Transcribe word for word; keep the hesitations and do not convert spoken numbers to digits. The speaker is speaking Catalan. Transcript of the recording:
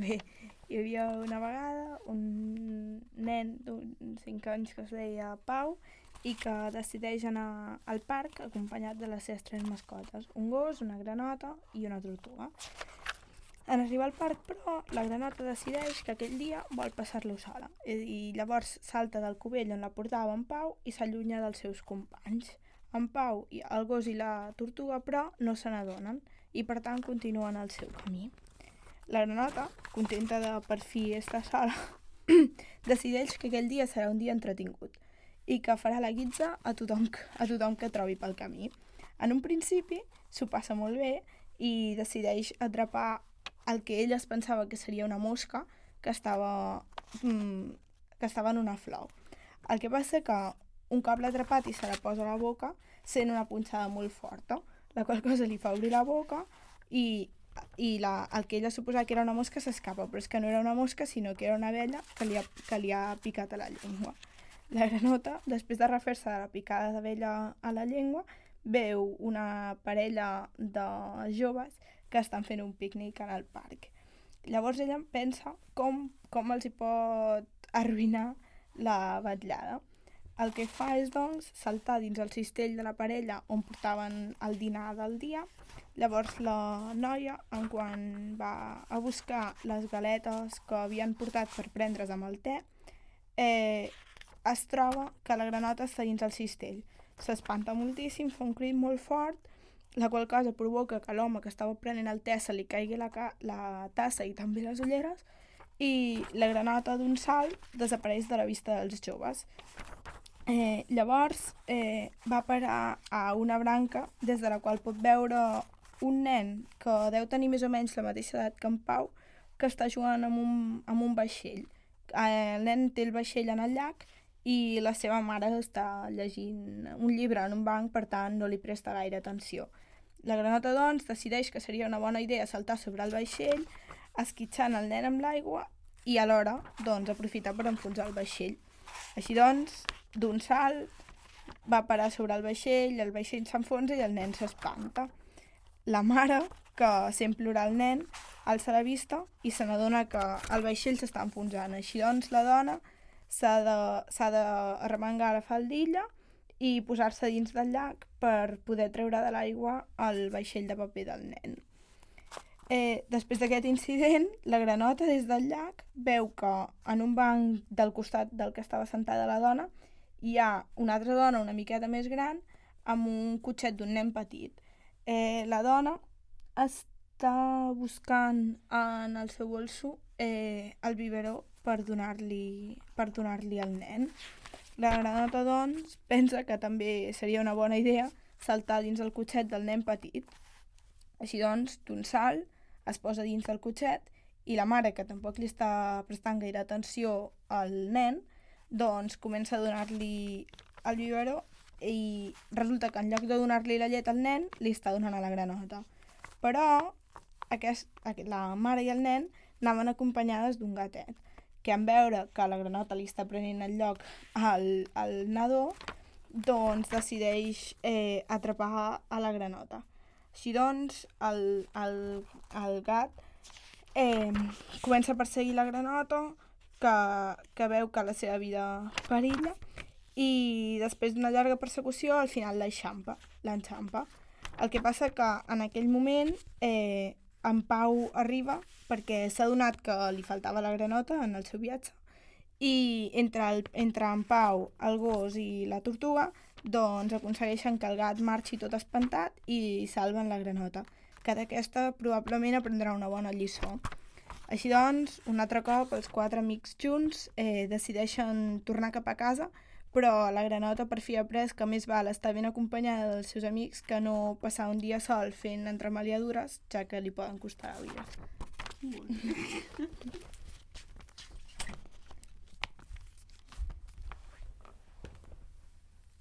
bé. Hi havia una vegada un nen d'uns cinc anys que es deia Pau i que decideix anar al parc acompanyat de les seves tres mascotes, un gos, una granota i una tortuga. En arribar al parc, però, la granota decideix que aquell dia vol passar-lo sola i llavors salta del cubell on la portava en Pau i s'allunya dels seus companys. En Pau, el gos i la tortuga, però, no se n'adonen i per tant continuen el seu camí. La granota, contenta de per fi estar sola, decideix que aquell dia serà un dia entretingut i que farà la guitza a tothom, a tothom que trobi pel camí. En un principi s'ho passa molt bé i decideix atrapar el que ell es pensava que seria una mosca que estava, mm, que estava en una flor. El que passa que un cop l'ha atrapat i se la posa a la boca, sent una punxada molt forta, la qual cosa li fa obrir la boca i, i la, el que ella suposava que era una mosca s'escapa, però és que no era una mosca sinó que era una abella que li ha, que li ha picat a la llengua. La granota, després de refer-se de la picada d'abella a la llengua, veu una parella de joves que estan fent un pícnic en el parc. Llavors ella pensa com, com els hi pot arruïnar la vetllada. El que fa és, doncs, saltar dins el cistell de la parella on portaven el dinar del dia. Llavors la noia, en quan va a buscar les galetes que havien portat per prendre's amb el te, eh, es troba que la granota està dins el cistell. S'espanta moltíssim, fa un crit molt fort, la qual cosa provoca que l'home que estava prenent el te se li caigui la, ca- la tassa i també les ulleres i la granota d'un salt desapareix de la vista dels joves. Eh, llavors eh, va parar a una branca des de la qual pot veure un nen que deu tenir més o menys la mateixa edat que en Pau, que està jugant amb un, amb un vaixell. Eh, el nen té el vaixell en el llac i la seva mare està llegint un llibre en un banc, per tant no li presta gaire atenció. La granota, doncs, decideix que seria una bona idea saltar sobre el vaixell, esquitxant el nen amb l'aigua i alhora, doncs, aprofitar per enfonsar el vaixell. Així doncs, d'un salt, va parar sobre el vaixell, el vaixell s'enfonsa i el nen s'espanta. La mare, que sent plorar el nen, alça la vista i se n'adona que el vaixell s'està enfonsant. Així doncs, la dona s'ha de, s'ha d'arremengar la faldilla i posar-se dins del llac per poder treure de l'aigua el vaixell de paper del nen. Eh, després d'aquest incident, la granota des del llac veu que en un banc del costat del que estava sentada la dona hi ha una altra dona una miqueta més gran amb un cotxet d'un nen petit. Eh, la dona està buscant en el seu bolso eh, el biberó per donar-li per donar-li al nen. La granota, doncs, pensa que també seria una bona idea saltar dins el cotxet del nen petit. Així doncs, d'un salt, es posa dins del cotxet i la mare, que tampoc li està prestant gaire atenció al nen, doncs comença a donar-li el biberó i resulta que en lloc de donar-li la llet al nen, li està donant a la granota. Però aquest, la mare i el nen anaven acompanyades d'un gatet, que en veure que la granota li està prenent el lloc al, al nadó, doncs decideix eh, atrapar a la granota. Així doncs, el, el, el gat eh, comença a perseguir la granota, que, que veu que la seva vida perilla, i després d'una llarga persecució, al final l'enxampa. l'enxampa. El que passa que en aquell moment eh, en Pau arriba perquè s'ha adonat que li faltava la granota en el seu viatge i entre, el, entre en Pau, el gos i la tortuga doncs aconsegueixen que el gat marxi tot espantat i salven la granota, que d'aquesta probablement aprendrà una bona lliçó. Així doncs, un altre cop, els quatre amics junts eh, decideixen tornar cap a casa, però la granota per fi ha après que més val estar ben acompanyada dels seus amics que no passar un dia sol fent entremaliadures, ja que li poden costar la vida.